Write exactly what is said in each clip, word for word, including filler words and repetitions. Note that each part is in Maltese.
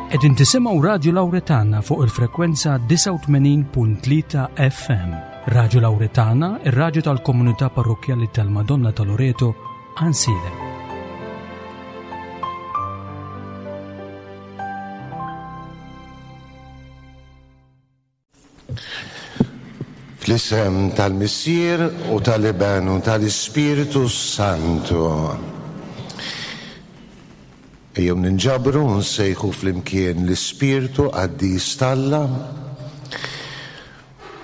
Qegħdin tisimgħu Radju Lawretana fuq il-frekwenza disgħa u tmenin punt tlieta F M. Radju Lawretana, ir-radju tal-komunità parrokkjali tal-Madonna ta' Loreto, Għajnsielem. Fl-isem tal-Missier u tal-Iben u tal-Ispirtu Santu. Ejjew ninġabru u nsejħu flimkien l-Ispirtu Qaddis t'Alla,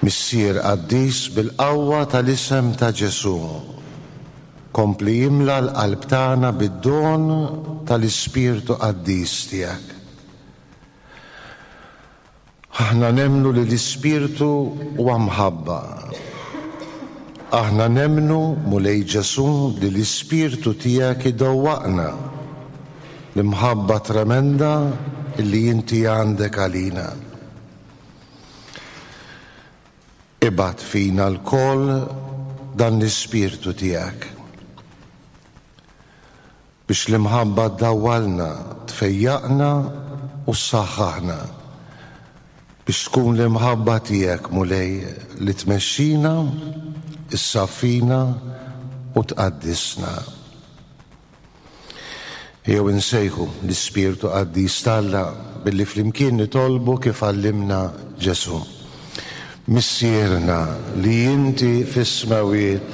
Missier Qaddis bil-qawwa tal-isem ta' Ġesu. Kompli jimla l-qalb tagħna bid-don tal-Ispirtu Qaddis tiegħek. Aħna nemmnu li l-Ispirtu huwa mħabba. Aħna nemmnu, Mulej Ġesu, li l-Ispirtu tiegħek idewwaqna l-imħabba tremenda li inti għandek għalina. Ibgħat fina lkoll dan l-Ispirtu tiegħek biex l-imħabba ddawwalna, tfejjaqna u ssaħħaħna, biex tkun l-imħabba tiegħek, Mulej, li tmexxina, issaffina u tqaddisna. Jew insejħu l-Ispirtu Qaddis t'Alla billi flimkien nitolbu kif għallimna Ġesu. Missierna li inti fis-smawiet,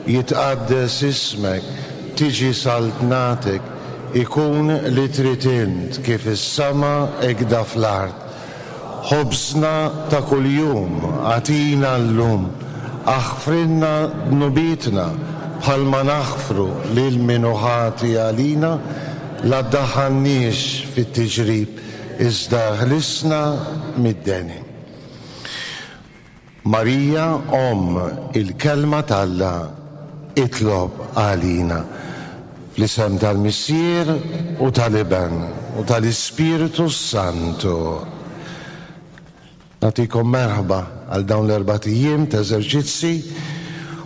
jitqaddes ismek, tiġi saltnatek, ikun li trid int kif is-sama hekk fl-art. Ħobżna ta' kuljum agħtina llum, aħfrilna dnubietna bħalma naħfru lil min hu ħati għalina, la ddaħħalniex fit-tiġrib, iżda ħlisna mid-deni. Marija, Omm il-Kelma t'Alla, itlob għalina. Fl-isem tal-Missier u tal-Iben u tal-Ispirtu Santu. Nagħtikom merħba għal dawn l-erbat ijiem ta' eżerċizzi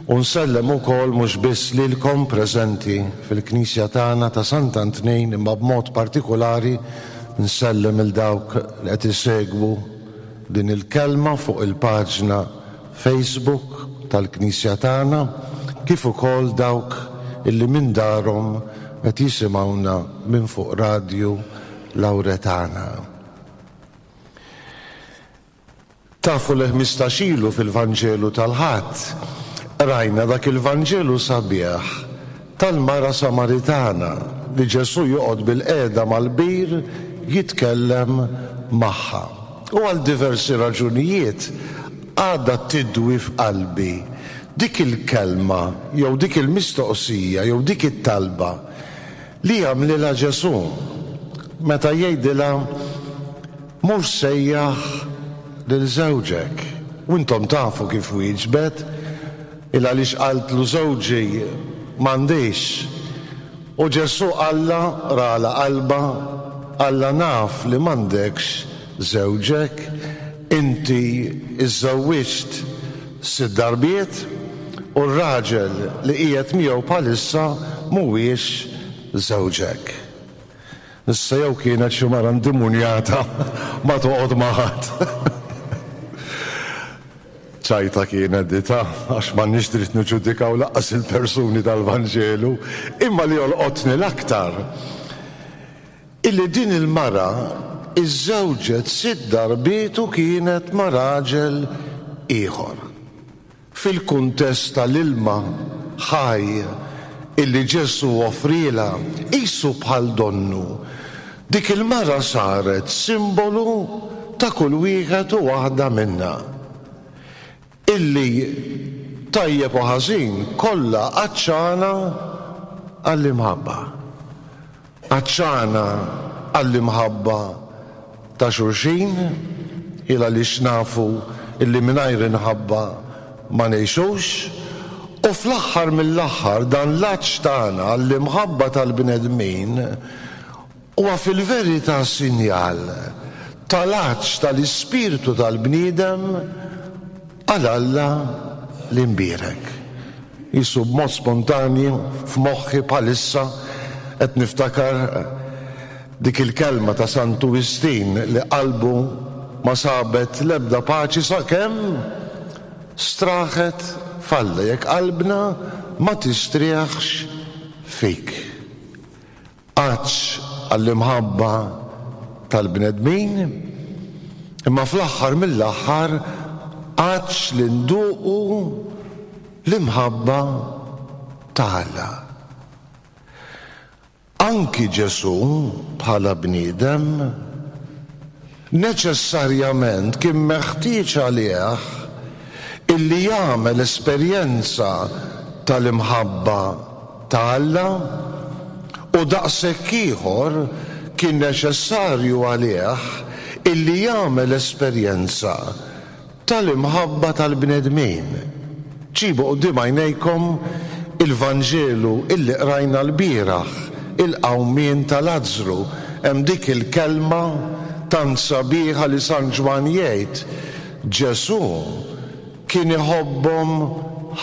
u nsellem ukoll mhux biss lilkom preżenti fil-Knisja tagħna ta' Sant'Antnin, imma b'mod partikolari nsellem il dawk li qed isegwu din il-kelma fuq il-paġna Facebook tal-Knisja tagħna, kif ukoll dawk illi minn darhom qed jisimgħuna minn fuq Radju Lawretana. Tafu li ħmistax ilu fil-Vanġelu tal-Ħadd rajna dak il-Vanġelu sabiħ tal-mara Samaritana li Ġesu joqgħod bil-qiegħda mal-bir jitkellem magħha. U għal diversi raġunijiet għadha tidwi f'qalbi dik il-kelma jew dik il-mistoqsija jew dik it-talba li għamlilha Ġesu meta jgħidilha mur sejjaħ lil żewġek. U intom tafu kif wieġbet, il għaliex qaltlu żewġi m'għandix. U Ġesu qalla rala qalba, qalla naf li m'għandekx żewġek, inti iżżewwiġt sitt darbiet u r-raġel li qiegħed miegħu bħalissa mhuwiex żewġek. Issa jew kienet xi mara ndimunjata ma toqgħod ma' ħadd. Ċajta kienet dita, għax m'għandniex dritt niġġudikaw lanqas il-persuni tal-Vanġelu, imma li jolqotni l-aktar illi din il-mara iżżewġet sitt darbiet u kienet ma' raġel ieħor. Fil-kuntest tal-ilma ħaj illi Ġesu offrielha, qisu bħal donnu, dik il-mara saret simbolu ta' kull wieħed u waħda minna. Illi tajjeb u ħażin kollha għatxana għall-imħabba. Għatxana għall-imħabba ta' xulxin, il għaliex nafu illi mingħajr inħabba ma ngħixux, u fl-aħħar mill-aħħar dan l-għatx tagħna għall-imħabba tal-bnedmin huwa fil-verità sinjal tal-għatx tal-ispirtu tal-bniedem għal Alla l-imbierek. Jisu b'mod spontanju f'moħħi bħalissa qed niftakar Dik il-kelma ta' Santu Wistin li qalbu ma sabet l-ebda paċi sakemm straħet f'Alla, jekk qalbna ma tistrieħx fik. Għatx għall-imħabba tal-bnedmin, imma fl-aħħar mill-aħħar għatx li nduqu l-imħabba ta' Alla. Anki Ġesù bħala bniedem neċessarjament kien meħtieġ għalih illi jagħmel esperjenza tal-imħabba ta' Alla, u daqshekk ieħor kien neċessarju għalih illi jagħmel esperjenza tal-imħabba tal-bnedmin. Ġibu quddiem għajnejkom il-Vanġelu illi qrajna l-bieraħ, il-qawmien ta' Lazzru. Hemm dik il-kelma tant sabiħa li San Ġwann jgħid, Ġesù kien iħobbhom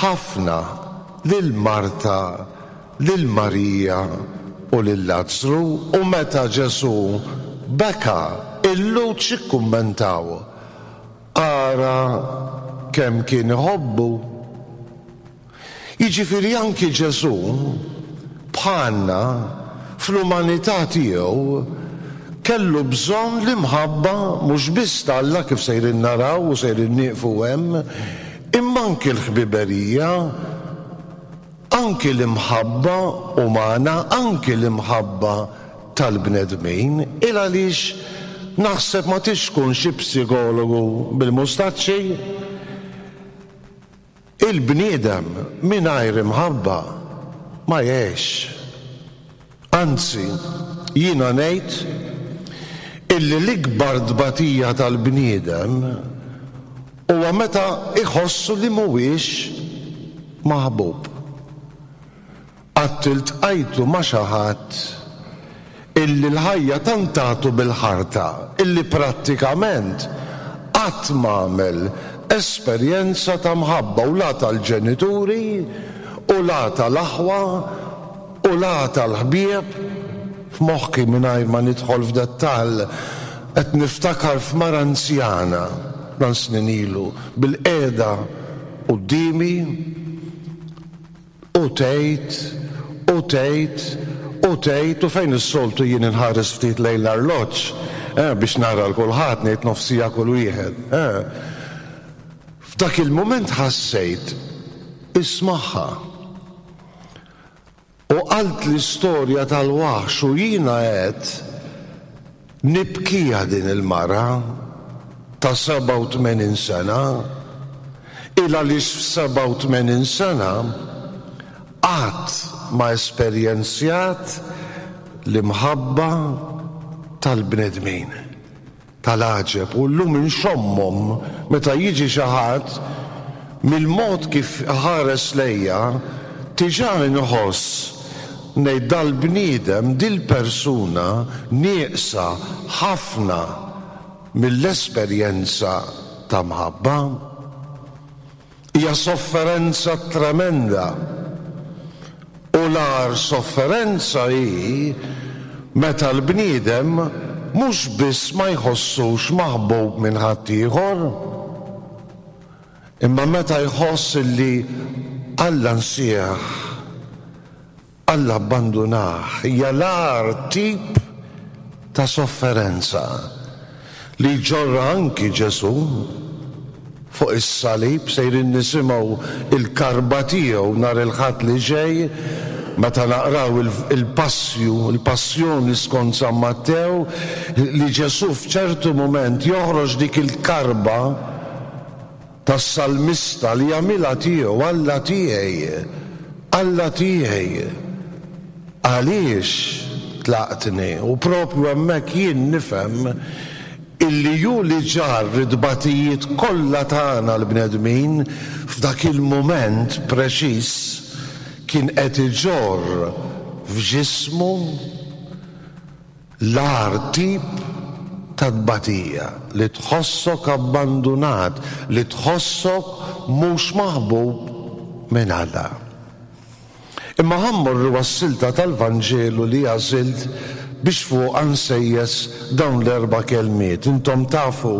ħafna lil Marta, lil Marija u lil Lazzru, u meta Ġesù beka, il-Lhud x'ikkummentaw? Ara kemm kien iħobbu. Jiġifieri anki Ġesù bħalna fl-umanità tiegħu kellu bżonn l-imħabba mhux biss t'Alla kif sejrin naraw u sejrin nieqfu hemm, imma anki l-ħbiberija, anki l-imħabba umana, anki l-imħabba tal-bnedmin, il għaliex naħseb ma tix tkun xi psikologu bil-mustaċċi. Il-bniedem mingħajr imħabba ma jgħix. Anzi, jiena ngħid illi l-ikbar tbatija tal-bniedem huwa meta iħossu li mhuwiex maħbub. Qatt iltqajtu ma' xi ħadd illi l-ħajja tantatu bil-ħarta, illi prattikament qatt m'għamel esperjenza ta' mħabba u la tal-ġenituri u la tal-aħwa u la tal-ħbieb. F'moħħi mingħajr ma nidħol f'dettall qed niftakar f'mara anzjana dan snin ilu bil-qiegħda quddiemi u tgħid u tgħid u tgħid, u fejn is-soltu jien inħares ftit lejn l-arloġġ eh, biex nara l kulħadd ngħid nofsija kull wieħed. Eh. F'dak il-mument ħassejt ismaħħa. U qalt l-istorja tal-waħx u jiena qed nibkija din il-mara ta' sebgħa u tmenin sena, il għaliex f'sebgħa u tmenin sena qatt ma esperjenzjat l-imħabba tal-bnedmin, tal-għaġeb. U llum inxommhom meta jiġi xi ħadd mill-mod kif ħares lejja, diġà inħoss ngħid dal-bniedem, dil-persuna nieqsa ħafna mill-esperjenza ta' mħabba. Hija sofferenza tremenda. U l-agħar sofferenza hi meta l-bniedem mhux biss ma jħossux maħbub minn ħaddieħor, imma meta jħoss illi Alla nsieħ, Alla abbandunah. Hija l-agħar tip ta' sofferenza li ġorra anki Ġesù fuq is-salib. Sejrin nisimgħu il-karba tiegħu nhar il-Ħadd li ġej meta naqraw il-passju, il-passjoni skont San Mattew, li Ġesù f'ċertu mument joħroġ dik il-karba tas-salmista li jagħmilha tiegħu, Alla tiegħi, Alla tiegħi, għaliex tlaqtni? U propju hemmhekk jien nifhem illi ju li ġarr it-tbatijiet kollha tagħna l-bnedmin f'dak il-mument preċiż kien qed iġorr f'ġismu l-agħar tip ta' tbatija, li tħossok abbandunat, li tħossok mhux maħbub minn Alla. Imma ħa mmorru għas-silta tal-Vanġelu li għażilt biex fuqha nsejjes dawn l-erba' kelmiet. Intom tafu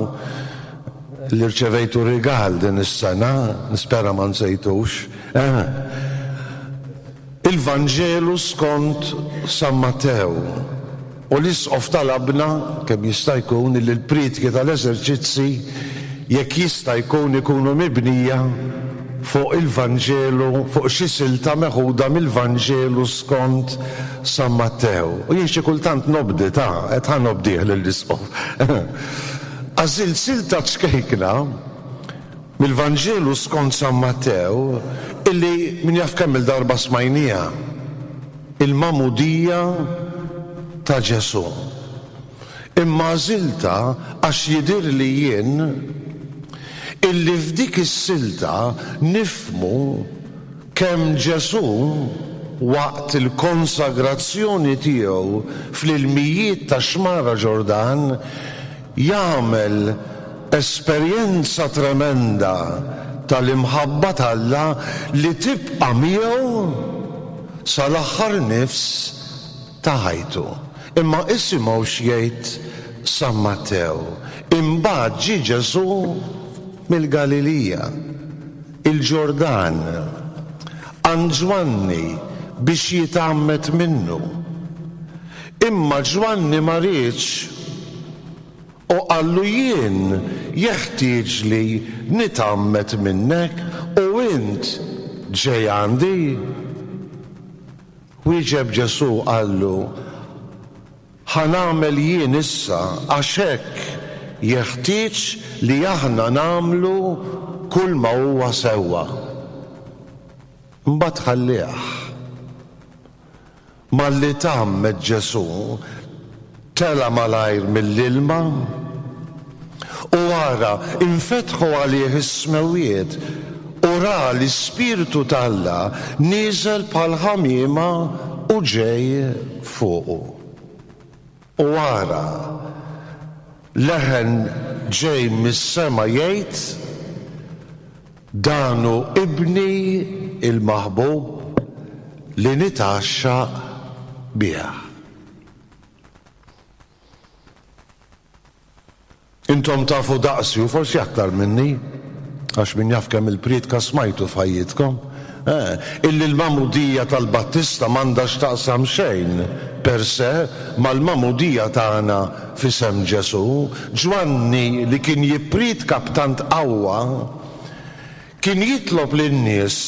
li rċevejtu rigal din is-sena, nispera ma nsejtux. Eh. Il-Vanġelu skont San Mattew. U l-Isqof talabna kemm jista' jkun li l-prietki tal-eżerċizzi jekk jista' jkun ikunu mibnija fuq il-Vanġelu, fuq xi silta meħuda mill-Vanġelu skont San Mattew. U jien xi kultant nobdi ta' qed ħa nobdih lill-Isqof. Għażilt silta ċkejkna mill-Vanġelu skont San Mattew illi min jaf kemm il-darba smajnija, il-magħmudija ta' Ġesù. Imma għażiltha għax jidhirli jien illi f'dik is-silta nifhmu kemm Ġesù waqt il-konsagrazzjoni tiegħu fl-ilmijiet ta' Xmara Ġordan jagħmel esperjenza tremenda tal-imħabba t'Alla li tibqa' miegħu sal-aħħar nifs ta' ħajtu. Imma isimgħu x'jgħid San Mattew. Imbagħad ġie Ġesù mill-Galilija, il-Ġordan, għand Ġwanni biex jitgħammed minnu. Imma Ġwanni ma riedx u qallu jien jeħtieġ li nitgħammed minnek u int ġej għandi. Wieġeb Ġesù qallu, ħa nagħmel jien issa għax hekk jeħtieġ li aħna nagħmlu kull ma huwa sewwa. Mbagħad ħallih. Malli tgħammed Ġesù tela' malajr mill-ilma u ara infetħu għalih is-smewwiet u ra l-Ispirtu t'Alla nieżel bħal ħamiema u ġej fuqu. U ara leħen ġej mis-sema jgħid, dan hu ibni il-maħbub li nitgħaxxaq bih. Intom tafu daqsi u forsi aktar minni, għax min jaf kemm il-prietka smajtu f'ħajjitkom, eh, illi l-magħmudija tal-Battista m'għandha x'taqsam xejn per se mal-magħmudija tagħna f'isem Ġesù. Ġwanni li kien jipprietka b'tant qawwa kien jitlob lin-nies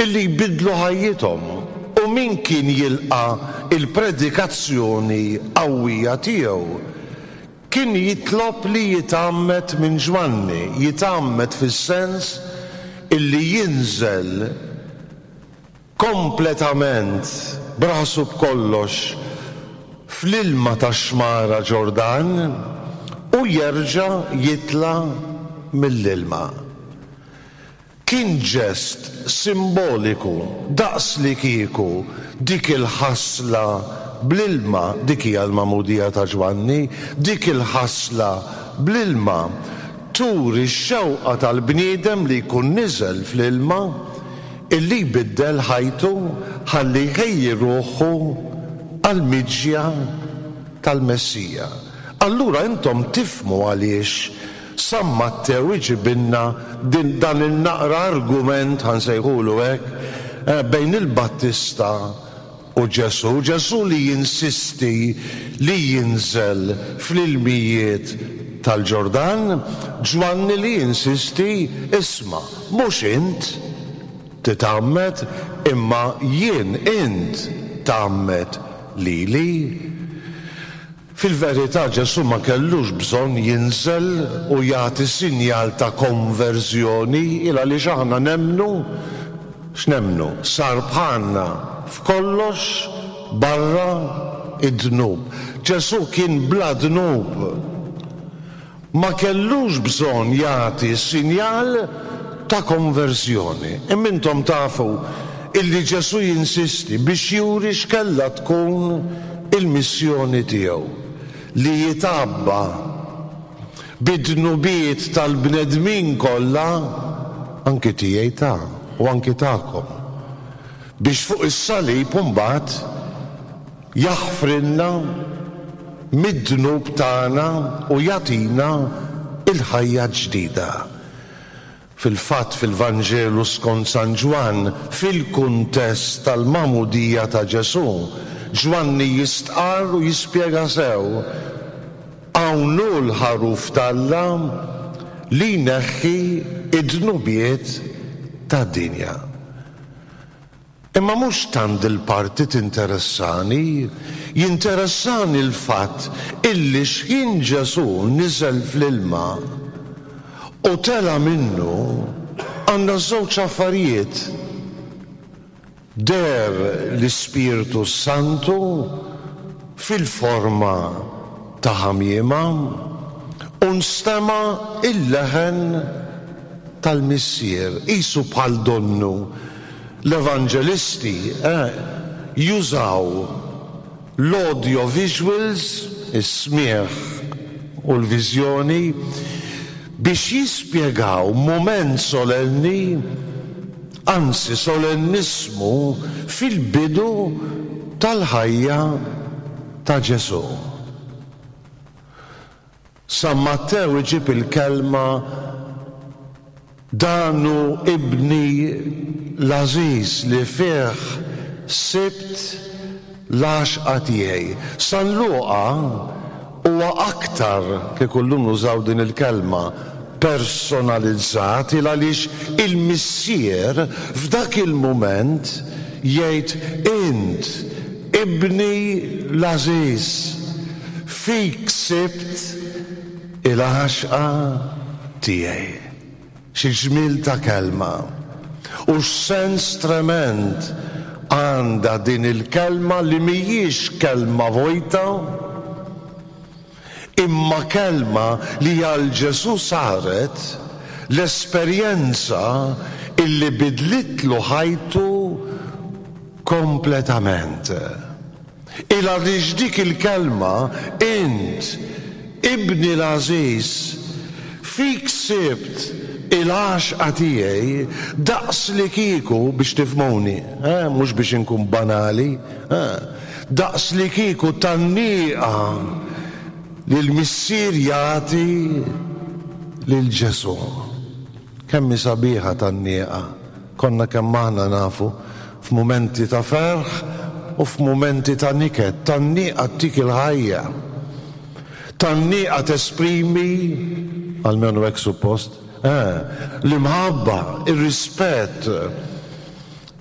illi jbidlu ħajjithom, u min kien jilqa' il-predikazzjoni qawwija tiegħu kien jitlob li jitgħammed minn Ġwanni, jitgħammed fis-sens illi jinżel kompletament b'rasu b'kollox fl-ilma tax-xmara Ġordan u jerġa' jitla' mill-ilma. Kien ġest simboliku daqs li kieku dik il-ħasla bl-ilma, dik hija l-magħmudija ta' Ġwanni, dik il-ħasla bl-ilma turi x-xewqa tal-bniedem li jkun niżel fl-ilma illi jbiddel ħajtu ħalli jħejji ruħu għall-miġja tal-Messija. Allura intom tifhmu għaliex San Mattew iġibilna din dan il-naqra argument, ħansejħulu hekk, eh, bejn il-Battista u Ġesù. Ġesù li jinsisti li jinżel fl-ilmijiet tal-Ġordan, Ġwanni li jinsisti isma' mhux int titgħammed imma jien int tgħammed lili. Fil-verità Ġesù ma kellux bżonn jinżel u jagħti sinjal ta' konverżjoni, il għaliex aħna nemmnu, x'nemmnu? Sar bħalna f'kollox barra id-dnub. Ġesù kien bla dnub. Ma kellux bżonn jagħti sinjal ta' konverżjoni. Imma intom tafu illi Ġesù jinsisti biex juri x'kellha tkun il-missjoni tiegħu, li jitgħabba bid-dnubiet tal-bnedmin kollha, anki tiegħi ta' u anki tagħkom, biex fuq is-salib imbagħad jaħfrilna mid-dnub tagħna u jagħtina il-ħajja ġdida. Fil-fatt, fil-Vanġelu skont San Ġwann, fil-kuntest tal-magħmudija ta' Ġesù, Ġwanni jistqarr u jispjega sew: "Hawn hu l-ħaruf t'Alla li jneħħi id-dnubiet tad-dinja." Imma mhux tant il-parti tinteressani, jinteressani l-fatt illi x'ħin Ġesù niżel fl-ilma u tela minnu, għandna żewġ affarijiet. Deher l-Ispirtu Santu fil-forma ta' ħamiema u nstema' il-leħen tal-Missier, qisu bħal donnu l-evanġelisti eh, jużaw l-audio visuals, is-smieħ u l-viżjoni, biex jispjegaw moment solenni, anzi solennismu, fil-bidu tal-ħajja ta' Ġesù. San Mattew iġib il-kelma: "Dan hu ibni l-għażiż li fih sibt l-għaxqa tiegħi." San Luqa huwa aktar, kieku llum nużaw din il-kelma, personalizzat, il għaliex il-Missier f'dak il-mument jgħid: "Int ibni l-għażiż, fik sibt il-għaxqa tiegħi." Xi ġmil ta' kelma u x'sens tremend għandha din il-kelma, li mhijiex kelma vojta, imma kelma li għal Ġesù saret l-esperjenza illi bidlitlu ħajtu kompletament. Il għaliex dik il-kelma, "Int ibni l-għażiż, fik sibt il-għaxqa tiegħi", daqs li kieku, biex tifhmuni, eh, mhux biex inkun banali, eh, daqs li kieku tgħanniqa li l-Missier jagħti lil Ġesù. Kemm sabiħa tgħanniqa! Konna kemm aħna nafu, f'mumenti ta' ferħ u f'mumenti ta' niket, tgħanniqa ttik il-ħajja. Tgħanniqa tesprimi, almenu hekk suppost, eh, l-imħabba, ir-rispett.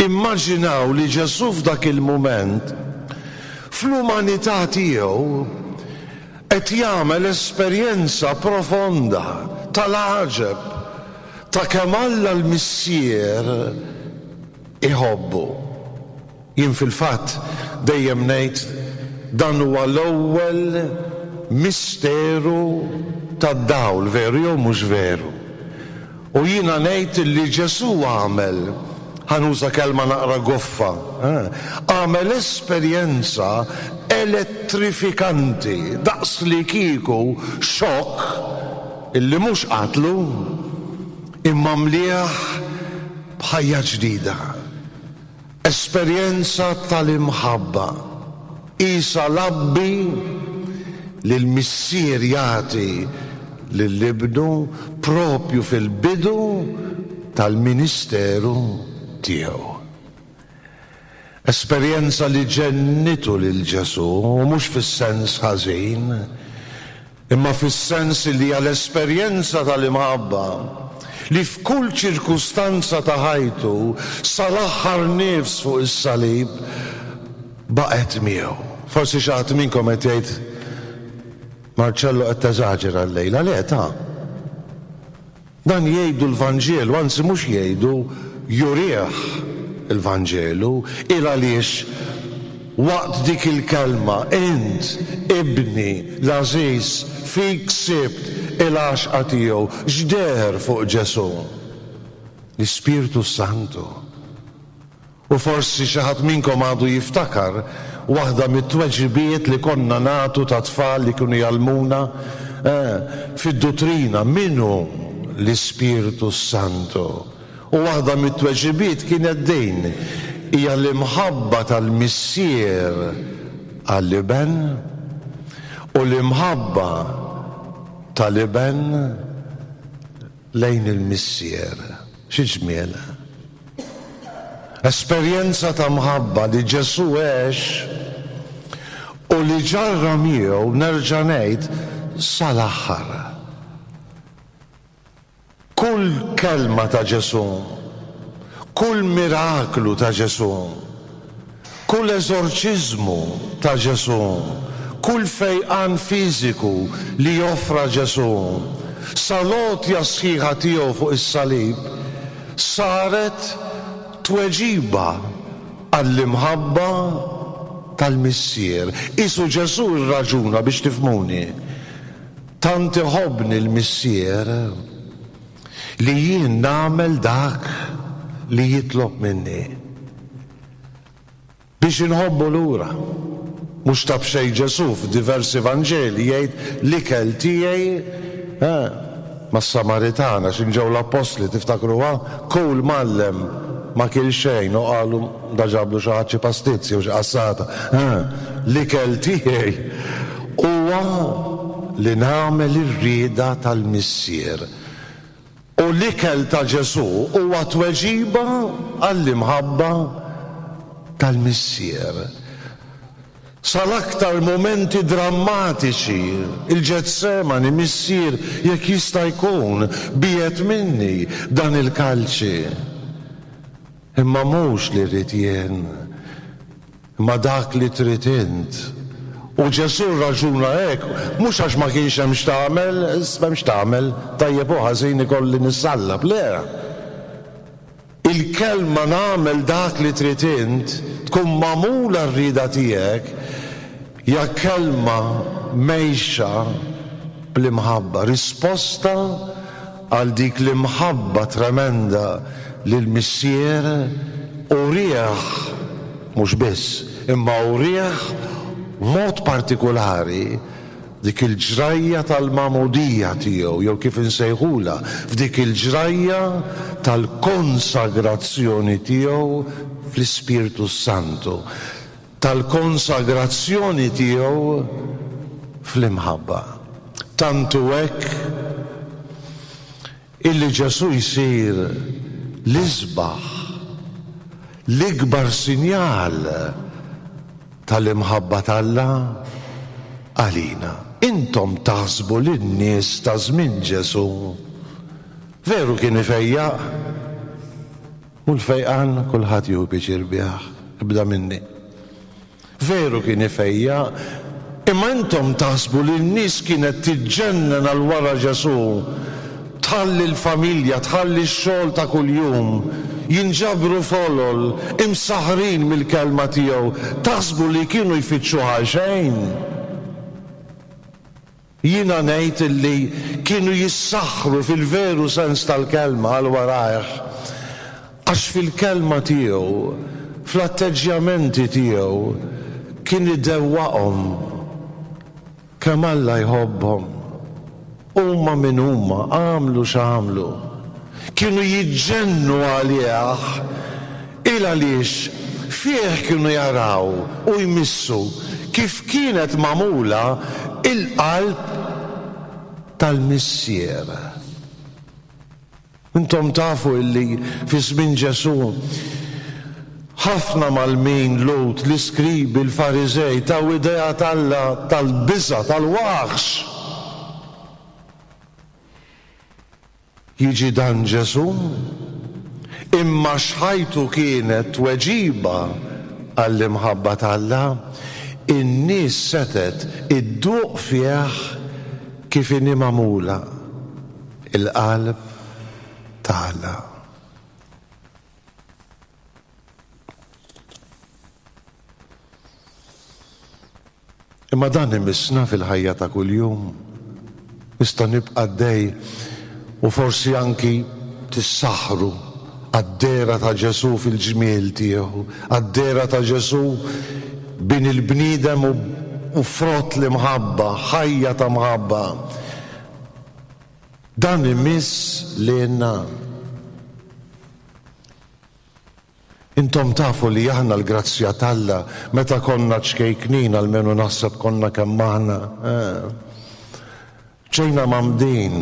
Immaġinaw li Ġesù f'dak il-moment, fl-umanità tiegħu, qed jagħmel esperjenza profonda tal-għaġeb ta' kemm Alla l-Missier iħobbu. Jien fil-fatt dejjem ngħid dan huwa l-ewwel misteru tad-dawl, veru jew mhux veru? U jiena ngħid li Ġesù għamel, ħa nuża kelma naqra goffa, eh, għamel esperjenza elettrifikanti, daqs li kieku xokk illi mhux qatlu imma mlieh b'ħajja ġdida. Esperjenza tal-imħabba. Isa labbi li l-Missier jagħti lil ibnu propju fil-bidu tal-ministeru tiegħu. Esperjenza li ġennitu lil Ġesù, u mhux fis-sens ħażin, imma fis-sens li għal esperjenza tal-imħabba li f'kull ċirkustanza ta' ħajtu, sal-aħħar nifs fuq is-salib, baqgħet miegħu. Forsi xi ħadd minnkom qed jgħid: "Marcello, qed teżaġera llejla." Le ta', dan jgħidu l-Vanġelu, anzi mhux jgħidu, jurih il-Vanġelu, il għaliex waqt dik il-kelma, "Int ibni l-għażiż, fik sibt il-għaxqa tiegħi", x'deher fuq Ġesù? L-Ispirtu Santu. U forsi xi ħadd minnkom għadu jiftakar waħda mit-tweġibiet li konna nagħtu ta' tfal li kienu jgħallmuna eh, fid-duttrina: min hu l-Ispirtu Santu? U waħda mit-tweġibiet kienet din: hija l-imħabba tal-Missier għall-Iben. u l-imħabba tal-Iben lejn il-Missier. Xi ġmiel. Esperjenza ta' mħabba li Ġesù għex u li ġarra miegħu, nerġa' ngħid, sal-aħħar. Kull kelma ta' Ġesù, kull miraklu ta' Ġesù, kull eżorċiżmu ta' Ġesù, kull fejqan fiżiku li joffra Ġesù, sal-għotja sħiħa tiegħu fuq is-salib, saret tweġiba għall-imħabba tal-Missier. Isu Ġesù rraġuna biex tifhmuni. Tant iħobbni l-Missier li jien nagħmel dak li jitlob minni. Biex inħobbu lura. Mhux ta' b'xejn Ġesù f'diversi Vanġeli jgħid l-ikel tiegħi mas-Samaritana x'inġew l-Appostli, tiftakruha, kull mgħallem ma kien xejn u qalu da ġablu xi ħadd xi pastizzi u xi qassata. L-ikel tiegħi huwa li nagħmel ir-rieda tal-Missier. U l-ikel ta' Ġesù huwa tweġiba għall-imħabba tal-Missier. Sal-aktar momenti drammatiċi, il-Ġetsemani, Missier, jekk jista' jkun, biegħed minni dan il-kalċi. Imma mhux li rrid jien, imma dak li trid int. U Ġesù raġuna hekk, mhux għax ma kienx hemm x'tagħmel, m'hemm x'tagħmel, tajjeb u ħażin ikolli nissallab, le. Il-kelma nagħmel dak li trid int, tkun magħmula r-rieda tiegħek, hija kelma mejxa bl-imħabba, risposta għal dik l-imħabba tremenda li l-Missier urieħ, mhux biss, imma urieħ mod partikolari dik il-ġrajja tal-magħmudija tiegħu, jew kif insejħula, f'dik il-ġrajja tal-konsagrazzjoni tiegħu fl-Ispirtu Santu, tal-konsagrazzjoni tiegħu fl-imħabba. Tantu hekk illi Ġesù jsir l-isbaħ, l-ikbar sinjal tal-imħabba t'Alla għalina. Intom taħsbu lin-nies ta' żmien Ġesù veru kien ifejjaq? U l-fejqan kulħadd jieħu pjaċir bih, ibda minni. Veru kien ifejjaq, imma intom taħsbu li n-nies kienet tiġġennen għal wara Ġesù, tħalli l-familja, tħalli x-xogħol ta' kuljum, jinġabru folol, imsaħrin mill-kelma tiegħu, taħsbu li kienu jfittxuha xejn? Jiena ngħid illi kienu jissaħħru fil-veru sens tal-kelma għal warajh, għax fil-kelma tiegħu, fl-atteġġjamenti tiegħu, kien idewwaqhom kemm Alla jħobbhom. Huma min huma, għamlu x'għamlu. Kienu jiġġennu għalih, il għaliex fih kienu jaraw u jmissu kif kienet magħmula il-qalb tal-Missier. Intom tafu illi fi żmien Ġesù ħafna mal-min Lut, l-iskribi, l-Fariżej taw idea t'Alla tal-biża', tal-waħx. Jiġi dan Ġesù, imma x'ħajtu kienet tweġiba għall-imħabba t'Alla, in-nies setet idduq fih kif inhi magħmula il-qalb ta' Alla. Imma dan imissna fil-ħajja ta' kuljum. Nista' nibqa' għaddej u forsi anki tissaħħru għad-dehra ta' Ġesù fil-ġmiel tiegħu, għad-dehra ta' Ġesù bin il-bniedem u frott l-imħabba, ħajja ta' mħabba. Dan imiss lilna. Intom tafu li aħna l-grazzja t'Alla meta konna ċkejknin, almenu naħseb konna kemm aħna, ġejna mgħammdin.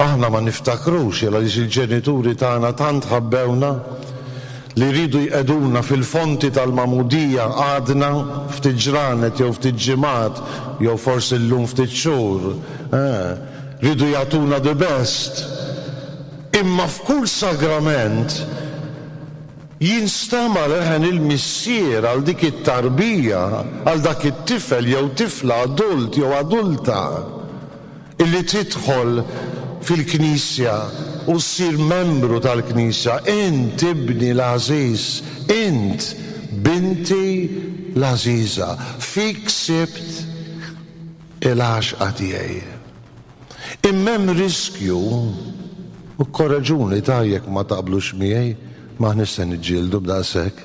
Aħna ma niftakrux għaliex il-ġenituri tagħna tant ħabbewna li rridu jqegħduna fil-fonti tal-magħmudija għadna ftit ġranet jew ftit ġimgħat jew forsi llum ftit xhur. Rridu jagħtuna the best. Imma f'kull sagrament jinstama' leħen il-Missier għal dik it-tarbija, għal dak it-tifel jew tifla, adult jew adulta, illi tidħol fil-Knisja u ssir membru tal-Knisja. Int ibni l-għażiż, int binti l-għażiża, fik sibt il-għaxqa tiegħi. Imma hemm riskju, u korreġuni ta' jekk ma taqblux miegħi, ma nista' niġġieldu b'daqshekk.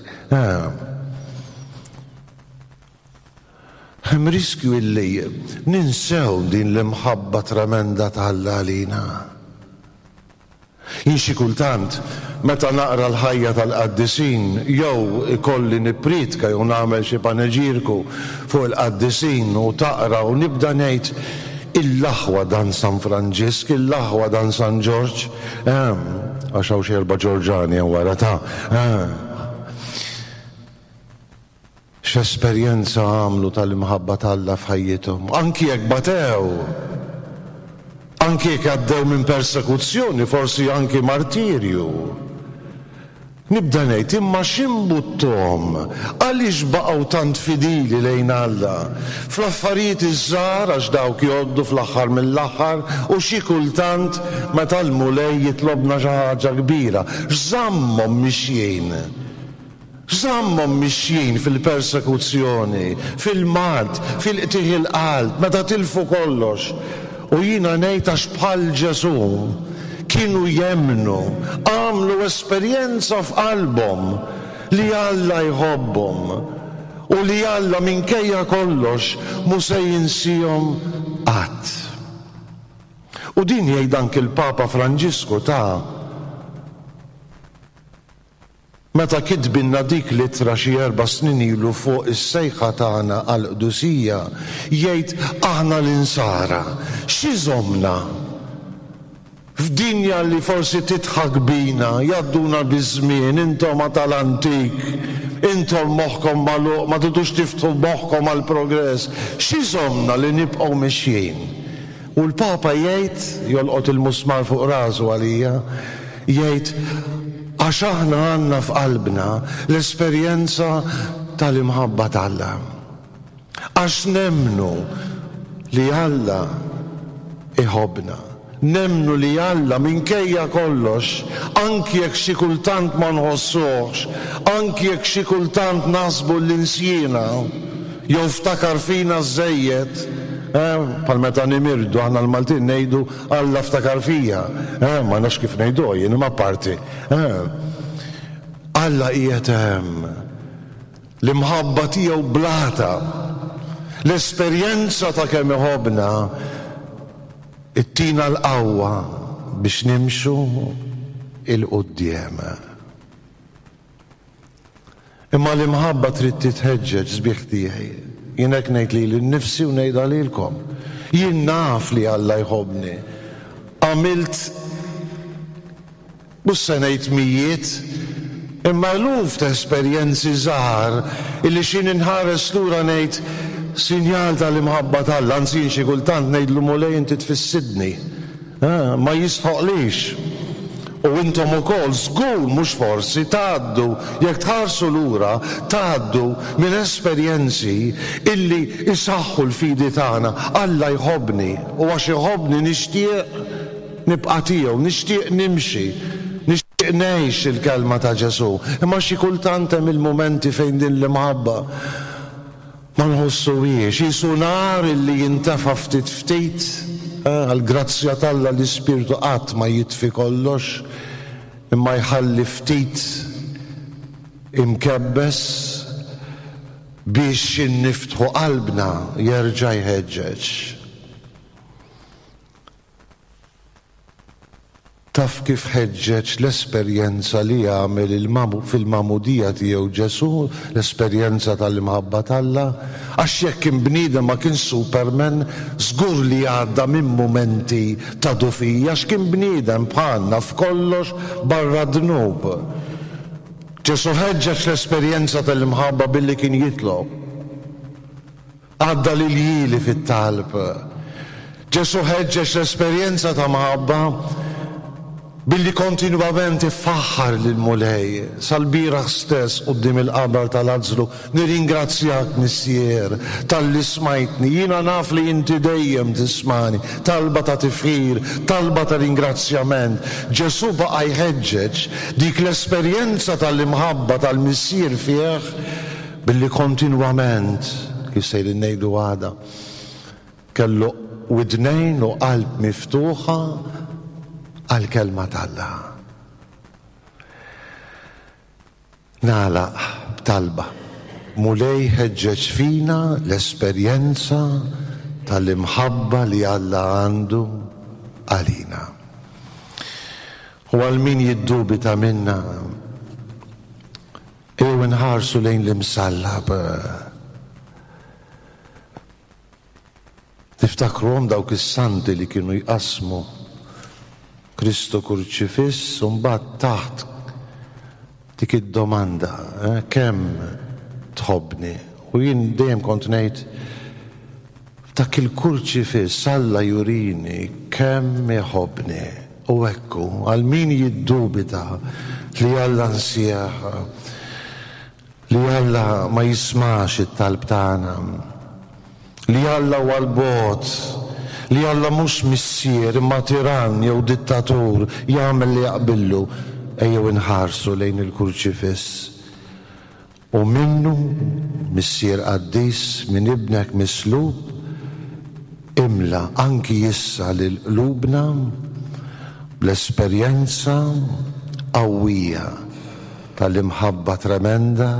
Hemm riskju illi ninsew din l-imħabba tremenda t'Alla għalina. Jien xi kultant meta naqra l-ħajja tal-qaddisin jew ikolli nippriedka jew nagħmel xi paneġirku fuq il-qaddisin u taqra u nibda ngħid il-aħwa dan San Franġisk, il-aħwa dan San Ġorġ, għax hawn xi erba' Ġorġani hemm wara ta'. X'esperjenza għamlu tal-imħabba t'Alla f'ħajjithom, anki jekk batew, anki jekk għaddew minn persekuzzjoni, forsi anki martirju. Nibda ngħid imma x'imbuttom, għaliex baqgħu tant fidili lejn Alla? Fl-affarijiet iż-żgħar għax dawk jgħoddu fl-aħħar mill-aħħar, u xi kultant meta l-Mulej jitlobna xi ħaġa kbira, x'żammhom mixjin? X'żammhom mixjin fil-persekuzzjoni, fil-mard, fil-qtigħ il-qalb, meta tilfu kollox? U jiena ngħid għax bħal Ġesù kienu jemmnu, għamlu esperjenza f'qalbhom li Alla jħobbhom u li Alla minkejja kollox mhu se jinsihom qatt. U din jgħid anki l-Papa Franġisku ta' meta kitbinna dik l-ittra xi erba' snin ilu fuq is-sejħa tagħna għall-qdusija, jgħid aħna l-insara x'iżomna f'dinja li forsi titħak bina, jgħadduna biż-żmien, intom tal-antik, intom moħħkom magħluq, ma tridux tiftħu moħħkom għall-progress, x'iżomna li nibqgħu mixjin? U l-Papa jgħid, jolqot il-musmar fuq rasu għalija, jgħid għax aħna għandna f'qalbna l-esperjenza tal-imħabba t'Alla. Għax nemmnu li Alla iħobbna. Nemmnu li Alla minkejja kollox, anki jekk xi kultant ma nħossuhx, anki jekk xi kultant naħsbu l-insjina, jew ftakar fina żejjed, bħal meta nimirdu aħna l-Maltin ngħidu Alla ftakar fija, ma nafx kif ngħidu jien imma parti. Alla qiegħed hemm, l-imħabba tiegħu blata, l-esperjenza ta' kemm iħobbna ittina l-qawwa biex nimxu il-quddiem. Imma l-imħabba trid titħeġġeġ, sbieħ tiegħi. Jien hekk ngħid lili nnifsi u ngħidha lilkom. Jien naf li Alla jħobbni. Għamilt mhux se ngħid mijiet, imma eluf ta' esperjenzi żgħar illi xi inħares lura ngħid sinjal tal-imħabba t'Alla, anzi xi kultant ngħidlu Mulej inti tfissidni. Ma jistħoqlix. U intom ukoll żgur mhux forsi tgħaddu, jekk tħarsu lura, tgħaddu minn esperjenzi illi isaħħu l-fidi tagħna. Alla jħobbni u għax iħobbni nixtieq nibqa' tiegħu, nixtieq nimxi, nixtieq ngħix il-kelma ta' Ġesù. Imma xi kultant hemm il-mumenti fejn din l-imħabba ma nħossuhiex, qisu nar illi jintefa' ftit ftit. Għall-grazzja t'Alla l-Ispirtu qatt ma jitfi kollox, imma jħalli ftit imkebbes biex inniftħu qalbna jerġa' jħeġġeġ. Taf kif ħeġġeġ l-esperjenza li għamel fil-magħmudija tiegħu Ġesù, l-esperjenza tal-imħabba t'Alla? Għax jekk kien bniedem ma kien Superman, żgur li għadda minn mumenti ta' dufija, għax kien bniedem bħalna f'kollox barra dnub. Ġesù ħeġġeġ l-esperjenza tal-imħabba billi kien jitlob. Għadda l-iljieli fit-talb. Ġesù ħeġġeġ l-esperjenza ta' mħabba billi kontinwament ifaħħar lill-Mulej sal-bieraħ stess quddiem il-qabar ta' Lazzru. Nirringrazzjak, Missier, talli smajtni, jiena naf li inti dejjem tismani. Talba ta' tifħir, talba ta' ringrazzjament. Ġesù baqa' jħeġġeġ dik l-esperjenza tal-imħabba tal-Missier fih billi kontinwament, kif sejrin ngħidu għada, kellu widnejn u qalb miftuħa għal-kelma t'Alla. Nagħlaq b'talba. Mulej, ħeġġeġ fina l-esperjenza tal-imħabba li Alla għandu għalina. U għal min jiddubita minna, ejjew nħarsu lejn l-imsallab. Tiftakruhom dawk is-santi li kienu jqasmu Kristu kurċifiss, u mbagħad taħt dik id-domanda, eh, kemm tħobbni? U jien dejjem kont ngħid, f'dak il-kurċifiss Alla jurini kemm iħobbni. U ekku, għal min jiddubita li Alla nsieħ, li Alla ma jismax it-talb tagħna, li Alla huwa l-bogħod, li Alla mhux missier imma tiran jew dittatur jagħmel li jaqbillu, ejjew inħarsu lejn il-kurċifiss. U minnu, Missier qaddis, minn ibnek mislub, imla anki issa lil qlubna bl-esperjenza qawwija tal-imħabba tremenda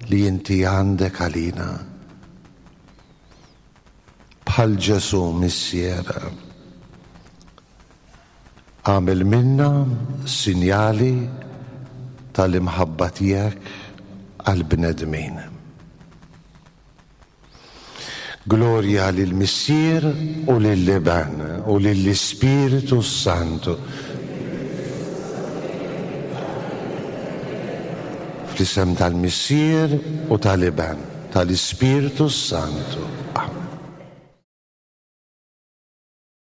li inti għandek għalina. Bħal Ġesù, Missier, għamel minna sinjali tal-imħabba tiegħek għall-bnedmin. Glorja lill-Missier u lill-Iben u lill-Ispiritu Santu. Fl-isem tal-Missier u tal-Iben, tal-Ispiritu Santu.